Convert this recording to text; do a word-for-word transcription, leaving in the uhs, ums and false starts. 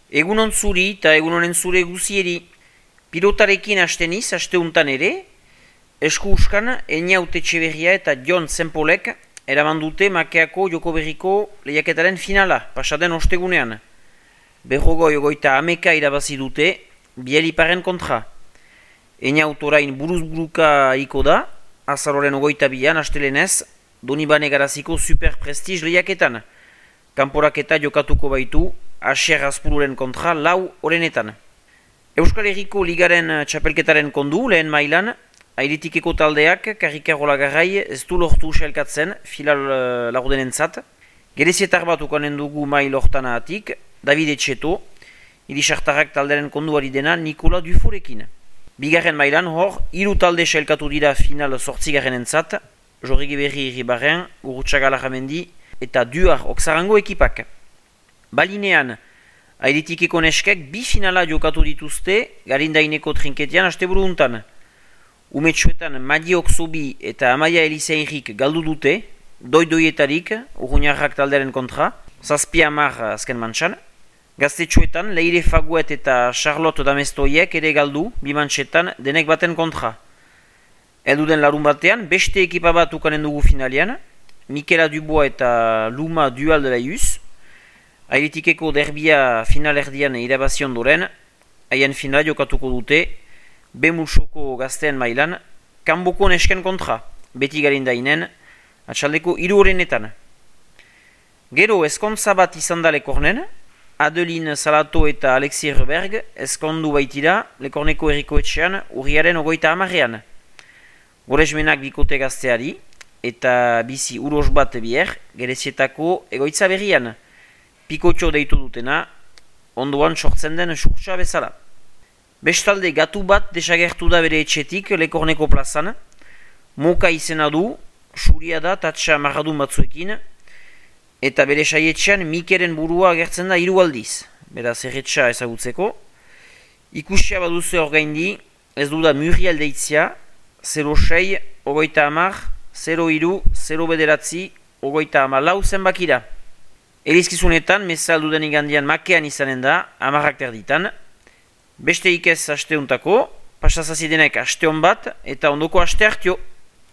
Egunon zuri eta egunonen zure guzieri. Pilotarekin hasteniz, hasteuntan ere, esku uskan, Einaute Etxeberria eta Jon Zenpolek eraman dute Makeako joko berriko lehiaketaren finala, pasaden ostegunean. Berrogoi ogoita ameka irabazi dute, Bieliparen kontra. Einaut orain buruz-buruka iko da, azaroren ogoita bian, astelenez, Donibane Garaziko Super Prestige lehiaketan. Kanporaketa jokatuko baitu, Asier Azpururen kontra lau orenetan. Euskal Herriko Ligaren txapelketaren kondu, lehen mailan, Airitikeko taldeak Karrikarola Garrai ez du lortu usailkatzen filal uh, lagudenentzat. Gerezietar bat ukanen dugu mail hortana atik, David Etxeto, irisartarrak talderen konduari dena Nikola Duforekin. Bigarren mailan hor, hiru talde sailkatu dira final sortzigarren entzat, Jorrigi Berri Irribarren, Gurutxaga Larramendi eta Duar Oksarango ekipak. Balinean, Airitikeko neskek bi finala jokatu dituzte Garindaineko trinketian asteburu untan. Umetsuetan Madi Oksobi eta Amaia Elizeinrik galdu dute, doi-doietarik, Urruñarrak talderen kontra, zazpi hamar azken mantxan. Gaztetxoetan Leire Faguet eta Charlotte Damestoiek ere galdu, bi mantxetan denek baten kontra. Elduden larun batean, beste ekipa bat ukanen dugu finalian, Mikela Dubois eta Luma Dual de la Ius. Airitikeko derbia finalerdian irabazion doren, haien finala jokatuko dute, Bemulsoko gazteen mailan, Kanboko nesken kontra, beti Garindainen, atxaldeko hiru horrenetan. Gero eskontza bat izan da Lekornen, Adeline Salato eta Alexis Reberg eskondu baitira Lekorneko herriko etxean urriaren ogoita hamarrean. Goresmenak bikote gazteari eta bizi uros bat bier Gerezietako egoitza berrian. Pikotxo deitu dutena, ondoan sortzen den surtsa bezala. Bestalde gatu bat desagertu da bere etxetik Lekorneko plazan, Moka izena du, suria da tatsa marradun batzuekin, eta bere saietxean Mikeren burua agertzen da hiru aldiz, beraz erretxa ezagutzeko. Ikusia baduzu orgaindi, ez du da Muriel deitzia, zero sei, ogoita hamar, zero hiru, zero bederatzi, ogoita hamar lau zenbakira. Elizkizunetan, meza alduden igandian Makean izanen da, hamarrak terditan. Beste ikez asteuntako, pasazazidenek asteon bat, eta ondoko aste hartio.